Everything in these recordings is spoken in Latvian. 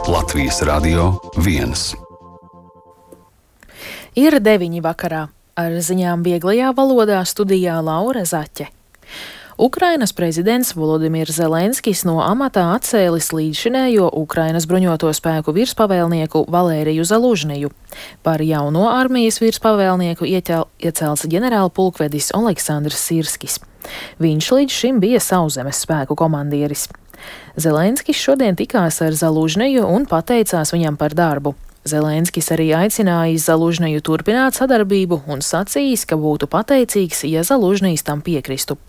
Latvijas Radio 1. Ir 9 vakarā. Ar ziņām vieglajā valodā studijā Laura Zaķe. Ukrainas prezidents Volodimirs Zelenskis no amatā atcēlis līdzšinējo Ukrainas bruņoto spēku virspavēlnieku Valēriju Zalužniju. Par jauno armijas virspavēlnieku iecelts ģenerālpulkvedis Oleksandrs Sirskis. Viņš līdz šim bija sauszemes spēku komandieris. Zelenskis šodien tikās ar Zalužniju un pateicās viņam par darbu. Zelenskis arī aicinājis Zalužniju turpināt sadarbību un sacījis, ka būtu pateicīgs, ja Zalužnijs tam piekristu.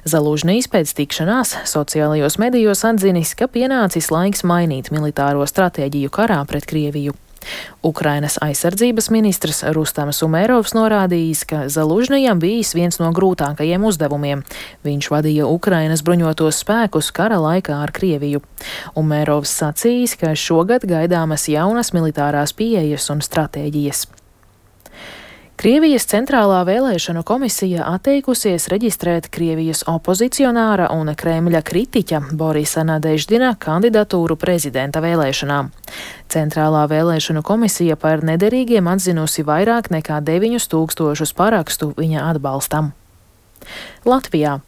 Zalužnijs pēc tikšanās sociālajos medijos atzinis, ka pienācis laiks mainīt militāro stratēģiju karā pret Krieviju. Ukrainas aizsardzības ministrs Rustams Umerovs norādījis, ka Zalužnijam bijis viens no grūtākajiem uzdevumiem. Viņš vadīja Ukrainas bruņotos spēkus kara laikā ar Krieviju. Umerovs sacījis, ka šogad gaidāmas jaunas militārās pieejas un stratēģijas. Krievijas centrālā vēlēšanu komisija atteikusies reģistrēt Krievijas opozicionāra un Kremļa kritiķa Borisa Nadeždina kandidatūru prezidenta vēlēšanām. Centrālā vēlēšanu komisija par nederīgiem atzinusi vairāk nekā 9000 parakstu viņa atbalstam. Latvijā.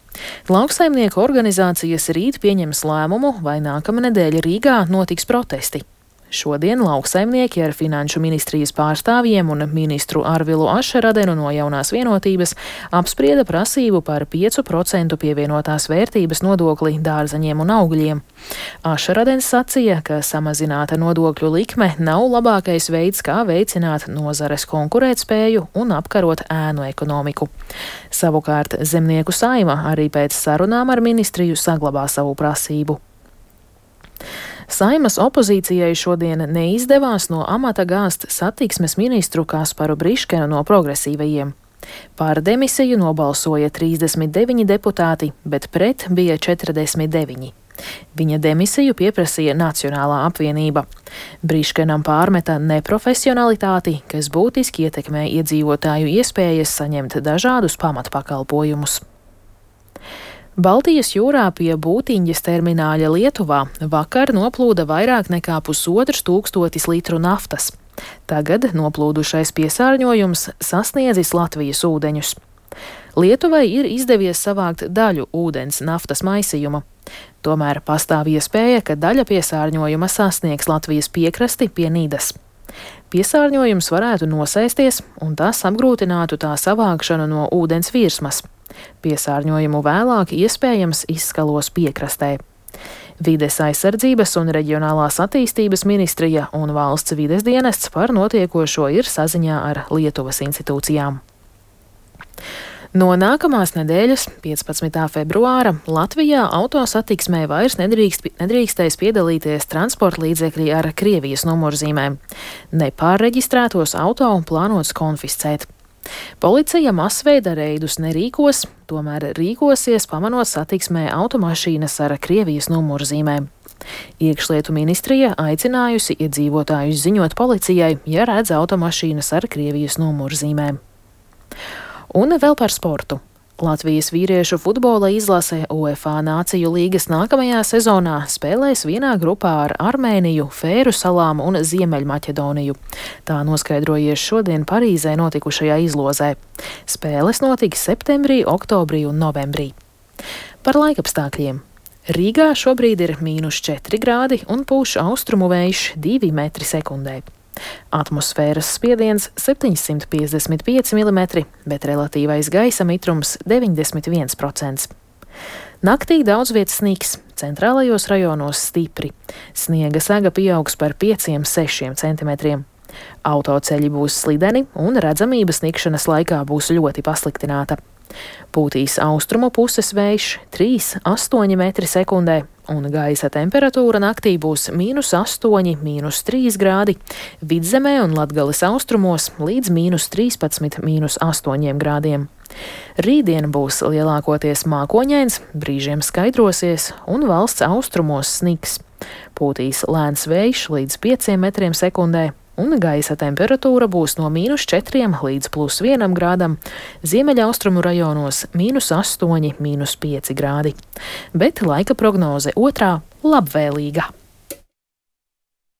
Lauksaimnieku organizācijas rīt pieņems lēmumu, vai nākamnedēļ Rīgā notiks protesti. Šodien lauksaimnieki ar Finanšu ministrijas pārstāvjiem un ministru Arvilu Ašeradenu no Jaunās vienotības apsprieda prasību par 5% pievienotās vērtības nodokli dārzeņiem un augļiem. Ašeradens sacīja, ka samazināta nodokļu likme nav labākais veids, kā veicināt nozares konkurētspēju un apkarot ēnu ekonomiku. Savukārt Zemnieku saima arī pēc sarunām ar ministriju saglabā savu prasību. Saimas opozīcijai šodien neizdevās no amata gāzt satiksmes ministru Kasparu Briškenu no progresīvajiem. Par demisiju nobalsoja 39 deputāti, bet pret bija 49. Viņa demisiju pieprasīja Nacionālā apvienība. Briškenam pārmeta neprofesionalitāti, kas būtiski ietekmē iedzīvotāju iespējas saņemt dažādus pamatpakalpojumus. Baltijas jūrā pie Būtiņģes termināļa Lietuvā vakar noplūda vairāk nekā 1500 litru naftas. Tagad noplūdušais piesārņojums sasniedzis Latvijas ūdeņus. Lietuvai ir izdevies savākt daļu ūdens naftas maisījuma. Tomēr pastāv iespēja, ka daļa piesārņojuma sasniegs Latvijas piekrasti pie Nidas. Piesārņojums varētu nosēsties, un tas apgrūtinātu tā savākšanu no ūdens virsmas. Piesārņojumu vēlāk iespējams izskalos piekrastē. Vides aizsardzības un reģionālās attīstības ministrija un valsts vides dienests par notiekošo ir saziņā ar Lietuvas institūcijām. No nākamās nedēļas, 15. februāra, Latvijā autosatiksmē vairs nedrīkstēs piedalīties transporta līdzekļi ar Krievijas numurzīmēm. Nepārreģistrētos auto plānots konfiscēt. Policija masveida reidus nerīkos, tomēr rīkosies pamanot satiksmē automašīnas ar Krievijas numurzīmēm. Iekšlietu ministrija aicinājusi iedzīvotājus ziņot policijai, ja redz automašīnas ar Krievijas numurzīmēm. Un vēl par sportu. Latvijas vīriešu futbola izlase UEFA Nāciju līgas nākamajā sezonā spēlēs vienā grupā ar Armēniju, Fēru salām un Ziemeļmaķedoniju. Tā noskaidrojies šodien Parīzē notikušajā izlozē. Spēles notiks septembrī, oktobrī un novembrī. Par laikapstākļiem. Rīgā šobrīd ir -4 grādi un pūš austrumu vējš 2 metri sekundē. Atmosfēras spiediens 755 mm, bet relatīvais gaisa mitrums 91%. Naktī daudz vietas sniks, centrālajos rajonos stipri. Sniega sega pieaugs par 5–6 cm. Autoceļi būs slideni un redzamība snikšanas laikā būs ļoti pasliktināta. Pūtīs austrumu puses vējš 3–8 metri sekundē, un gaisa temperatūra naktī būs -8, -3 grādi, Vidzemē un Latgales austrumos līdz -13, -8 grādiem. Rītdien būs lielākoties mākoņains, brīžiem skaidrosies un valsts austrumos sniks. Pūtīs lēns vējš līdz 5 metriem sekundē, un gaisa temperatūra būs no -4 līdz +1 grādam, ziemeļaustrumu rajonos -8, -5 grādi. Bet laika prognoze otrā - labvēlīga.